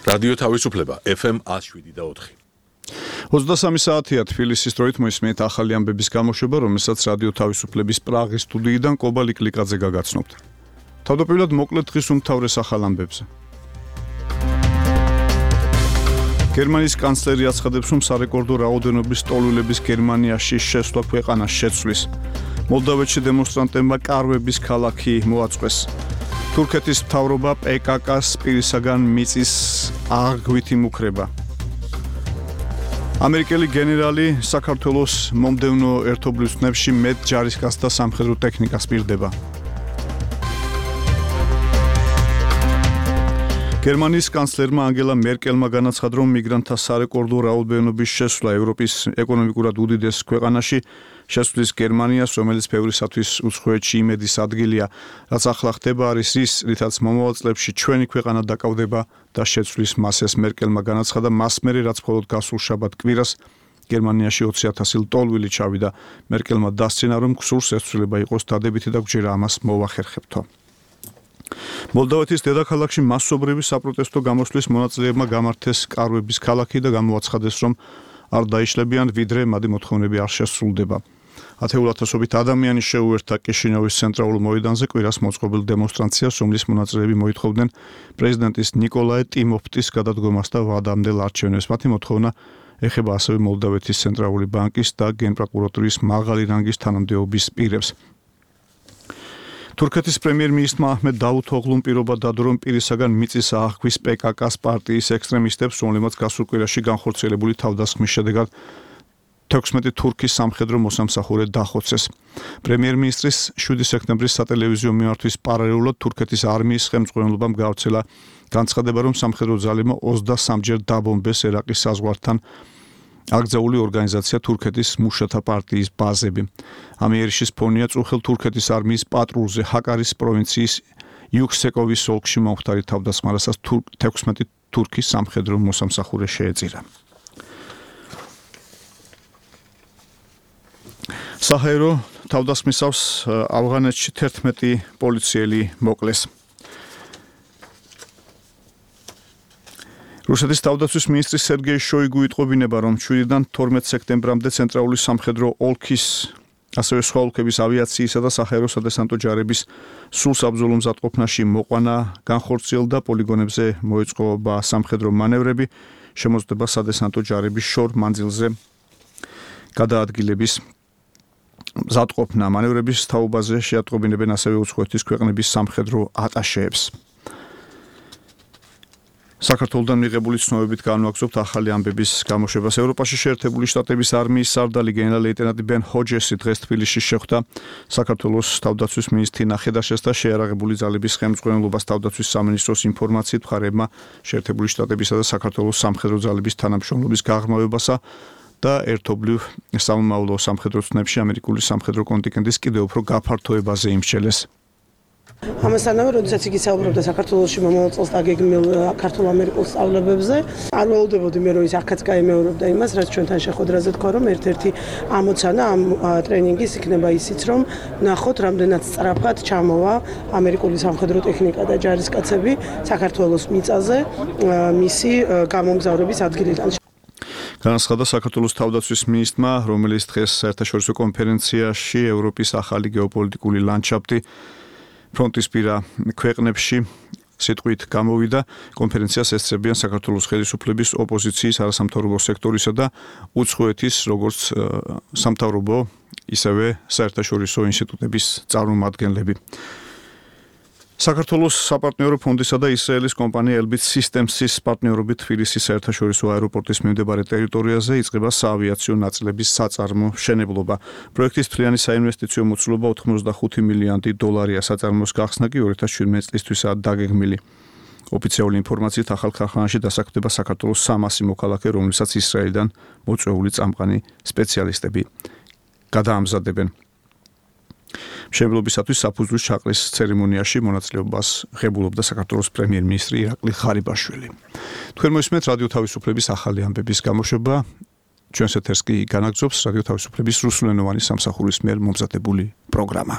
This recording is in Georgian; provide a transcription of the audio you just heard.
რადიო თავისუფლება FM 107.4. 23 საათია თბილისის დროით მოისმენთ ახალი ამბების გამოშვება, რომელსაც რადიო თავისუფლების პრაღის სტუდიიდან კობა ლიკლიკაძე გაგაცნობთ. თავდაპირველად მოკლედ დღის უმთავრეს ახალ ამბებზე. გერმანიის კანცლერი აცხადებს, რომ სარეკორდო რაოდენობის ტოლვილების გერმანიაში შესვლა ქვეყანას შეცვლის. მოლდოვეთში დემონსტრანტებმა კარვების ქალაქი მოაწყვეს. თურქეთის მთავრობა PKK-ს პირისაგან მიწის აღგვით იმუქრება. ამერიკელი გენერალი საქართველოს მომდევნო ერთობლივ ცნებში მეტ ჯარისკაცს და სამხედრო ტექნიკას პირდება. გერმანიის კანცლერმა ანგელა მერკელმა განაცხადა, რომ მიგრანტთა სარეკორდო რაოდენობის შესვლა ევროპის ეკონომიკურად უდიდეს ქვეყანაში შესვლის გერმანიას, რომელიც ბევრისათვის უცხოეთში იმედის ადგილია, რაც ახლა ხდება არის ის, რითაც მომავალ წლებში ჩვენი ქვეყანა დაკავდება და შეცვლის მასეს. მერკელმა განაცხადა, მას მერე რაც მხოლოდ გასულ შაბათ კვირას გერმანიაში 20,000 ტოლვილი ჩავიდა. მერკელმა დასცენა, რომ გსურს ეცვლილება იყოს დადებითი და გვჯერა ამას მოვახერხებთო. მოლდოვეთის დედაქალაქში მასობრივი საპროტესტო გამოსვლის მონაწილეებმა გამართეს კარვების ქალაქი და გამოაცხადეს, რომ არ დაიშლებიან, ვიდრე მათი მოთხოვნები არ შესრულდება. ათეულათასობით ადამიანი შეუერთდა კიშინოვის ცენტრალურ მოედანზე კვირას მოწყობილ დემონსტრაციას, რომლის მონაწილეები მოითხოვდნენ პრეზიდენტის ნიკოლაე ტიმოფტის გადადგომას და ვადამდელ არჩევნებს. მათი მოთხოვნა ეხება ასევე მოლდოვეთის ცენტრალური ბანკის და გენპროკურატურის მაღალი რანგის თანამდებობის პირებს. თურქეთის პრემიერ-მინისტრმა აჰმედ დავუთოღლუმ პირობა დადო, რომ პირისაგან მიწის აღგვის PKK-ს პარტიის ექსტრემისტებს, რომლებმაც გასულ კვირაში განხორციელებული თავდასხმის შედეგად 16 თურქის სამხედრო მოსამსახურე დახოცეს. პრემიერ-მინისტრის 7 სექტემბრის სატელევიზიო მიმართვის პარალელურად თურქეთის არმიის ხელმძღვანელობამ გავრცელა განცხადება, რომ სამხედრო ძალებმა 23-ჯერ დაბომბეს ერაყის საზღვართან აკრძალული ორგანიზაცია თურქეთის მუშათა პარტიის ბაზები. ამ იერიშის ფონია წუხელ თურქეთის არმიის პატრულზე ჰაკარის პროვინციის იუქსეკოვის ოლქში მომხდარი თავდასხმა, რასაც 16 თურქის სამხედრო მოსამსახურე შეეწირა. საჰაერო თავდასხმისავს ავღანეთში 11 პოლიციელი მოკლეს. რუსეთის თავდაცვის მინისტრი სერგეი შოიგუ იტყობინება, რომ 7-დან 12 სექტემბრამდე ცენტრალური სამხედრო ოლქის, ასევე სხვა ოლქების ავიაციისა და საჰაერო სადესანტო ჯარების სულ საბრძოლო მზადყოფნაში მოყვანა განხორციელდა, პოლიგონებზე მოეწყობა სამხედრო მანევრები, შემოწმდება სადესანტო ჯარების შორ მანძილზე გადაადგილების მზადყოფნა. მანევრების თაობაზე შეატყობინებენ ასევე უცხოეთის ქვეყნების სამხედრო ატაშეებს. საქართველოდან მიღებული ცნობებით განვაგრძობთ ახალი ამბების გამოშვებას. ევროპაში შეერთებული შტატების არმიის სარდალი გენერალ-ლეიტენანტი ბენ ჰოჯესი დღეს თბილისში შეხვდა საქართველოს თავდაცვის მინისტრ თინა ხედაშეს და შეიარაღებული ძალების ხელმძღვანელობას თავდაცვის სამინისტროს ინფორმაციით მხარეებმა შეერთებული შტატებისა და საქართველოს სამხედრო ძალების თანამშრომლობის გაღრმავებასა და ერთობლივ სამომავლო სამხედრო ცნებში ამერიკული სამხედრო კონტინგენტის კიდევ უფრო გაფართოებაზე იმსჩელეს. ამასთანავე, როდესაც იგი საუბრობდა საქართველოში მომავალ წელს დაგეგმილ ქართულ-ამერიკულ სწავლებებზე, არ ველოდებოდი მე, რომ ის აქაც გაიმეორებდა იმას, რაც ჩვენთან შეხვედრაზე თქვა, რომ ერთ-ერთი ამოცანა ამ ტრენინგის იქნება ისიც, რომ ნახოთ, რამდენად სწრაფად ჩამოვა ამერიკული სამხედრო ტექნიკა და ჯარისკაცები საქართველოს მიწაზე მისი გამომგზავრების ადგილიდან. განაცხადა საქართველოს თავდაცვის მინისტრმა, რომელიც დღეს საერთაშორისო კონფერენციაში ევროპის ახალი გეოპოლიტიკური ლანდშაფტი ფრონტისპირა ქვეყნებში სიტყვით გამოვიდა. კონფერენციას ესწრებიან საქართველოს ხელისუფლების, ოპოზიციის, არასამთავრობო სექტორისა და უცხოეთის როგორც სამთავრობო, ისევე საერთაშორისო ინსტიტუტების წარმომადგენლები. საქართველოს საპარტნიორო ფონდისა და ისრაელის კომპანია Elbit Systems-ის პარტნიორობით თბილისის საერთაშორისო აეროპორტის მიმდებარე ტერიტორიაზე იწყება საავიაციო ნაწილების საწარმო მშენებლობა. პროექტის მთლიანი საინვესტიციო მოცულობა 85 მილიონი დოლარია. საწარმოს გახსნა კი 2017 წლისთვისაა დაგეგმილი. ოფიციალური ინფორმაციით ახალ ქარხანაში დასაქმდება საქართველოს 300 მოქალაქე, რომლებსაც ისრაელიდან მოწვეული წამყვანი სპეციალისტები გადაამზადებენ. მშენებლობისათვის საფუძვლის ჩაყრის ცერემონიაში მონაწილეობას ღებულობდა საქართველოს პრემიერ-მინისტრი ირაკლი ღარიბაშვილი. თქვენ მოისმენთ რადიო თავისუფლების ახალი ამბების გამოშვება. ჩვენს ეთერს კი განაგრძობს რადიო თავისუფლების რუსულენოვანი სამსახურის მიერ მომზადებული პროგრამა.